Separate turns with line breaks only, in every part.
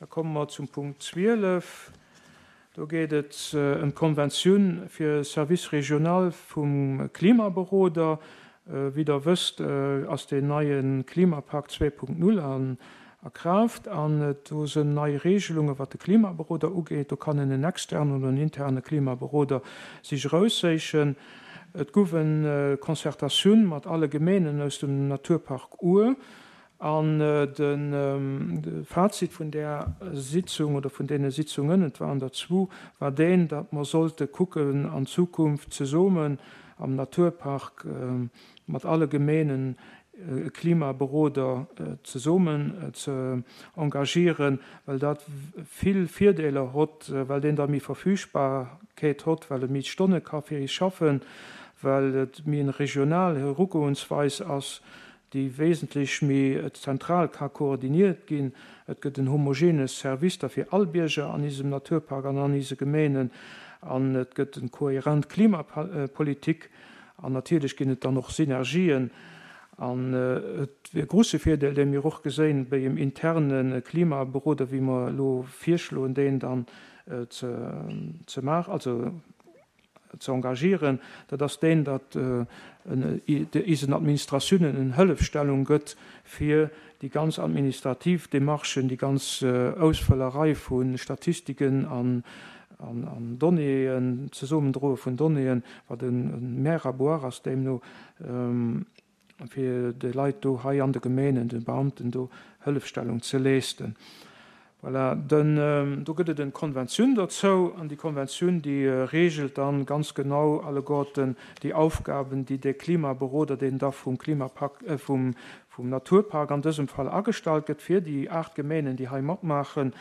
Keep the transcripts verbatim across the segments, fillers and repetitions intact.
Da komme mer zum Punkt zwielef. Do geet et ëm d'Konventioun fir Service régional vum Klimaberoder. Wéi Der wësst, ass deen neie Klimapakt zwee Punkt null a Kraaft an do sinn nei Regelungen, wat de Klimaberoder ugeet. Do kann een en externen oder en interne Klimaberoder sech erausséichen. Et gouf eng Concertatioun mat alle Gemeenen aus dem Naturpark Our. An de Fazit vun där Sitzung oder vun deene Sitzungen, et waren der zwou, war deen, datt mer sollte kucken an Zukunft zesummen am Naturpark mat alle Gemeenen e Klimaberoder zesummen ze engagieren, well dat vill Virdeeler hott, well deen da méi Verfügbarkeet hott, well e méi Stonne ka fir is schaffen, well et méi eng regional Erugoensweis ass, déi wesentlech méi zentral ka koordiniert ginn. Et gëtt en homogene Service da fir all Bierger an isem Naturpark an an ise Gemeenen an et gëtt eng kohärent Klimapolitik an natierlech ginn et dann och Synergien. An et wier e grouse Virdeel, dee mir och geséin bei em interne Klimaberoder, wéi mer elo virschloen, deen dann ze ze maachen, also ze engagieren, dat ass deen, datt isen Administratiounen en Hëllefstellung gëtt fir déi ganz administrativ Demarchen, déi ganz Ausfëllerei vu Statistiken an an Donnéeën, Zesummendroe vun Donnéeën, wat e Mer à boire ass deemno, fir de Leit do hei an de Gemeenen, de Beamten do Hëllefstellung ze leesten. Voilà, den, do gëtt et en Konventioun dozou, an déi Konventioun, déi regelt dann ganz genau alleguerten déi Aufgaben, déi dee Klimaberoder, deen da vum Klimapakt, vum, vum Naturpark an dësem Fall agestallt gëtt fir déi aacht Gemeenen, déi hei matmaachen,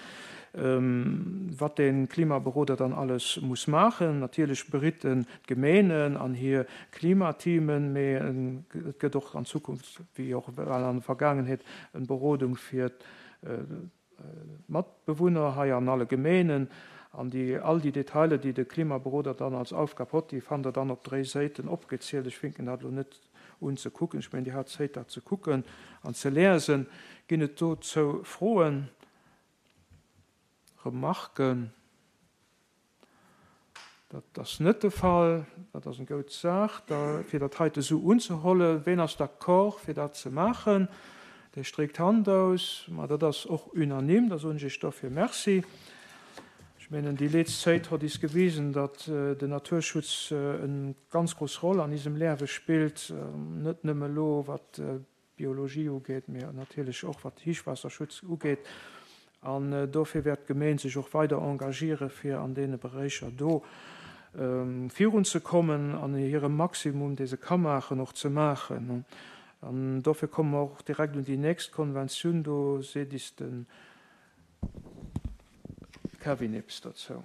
wat dee Klimaberoder dann alles muss maachen. Natierlech beritt en d'Gemeenen an hir Klimateamen, mee et gëtt och an Zukunft, wéi och well an der Vergaangenheet, en Berodung fir d'Matbewunner hei an alle Gemeenen. An déi, all déi Detailer, déi de Klimaberoder dann als Aufgab hott, déi fannt Der dann op dréi Séiten opgezielt. Ech finken dat elo net un ze kucken. Ech mengen, Dir hat Zéit, dat ze kucken an ze lesen. Ginn et dozou Froen, Remarken? Dat ass net de Fall. Dat ass eng goud Saach, da fir dat heite esou unzehollen. Ween ass d'accord, fir dat ze maachen? Dee streekt d'Hand aus. Ma dat ass och unanime. Da soen ech Iech dofir Merci. Ech mengen, déi leetzt Zéit hott is gewisen, datt den Naturschutz en ganz grouss Roll an isem Leawe spillt, net nëmme elo wat d'Biologie ugeet, mee natierlech och wat Héichwaasserschutz ugeet. An dofir wäert d'Gemeen sech och weider engagiere fir an deene Beréicher do virunzekommen an hire Maximum, dee se ka maachen, och ze maachen. An dofir komme mer och direkt un déi nächst Konventioun. Do seet is de Kevin eppes dozou.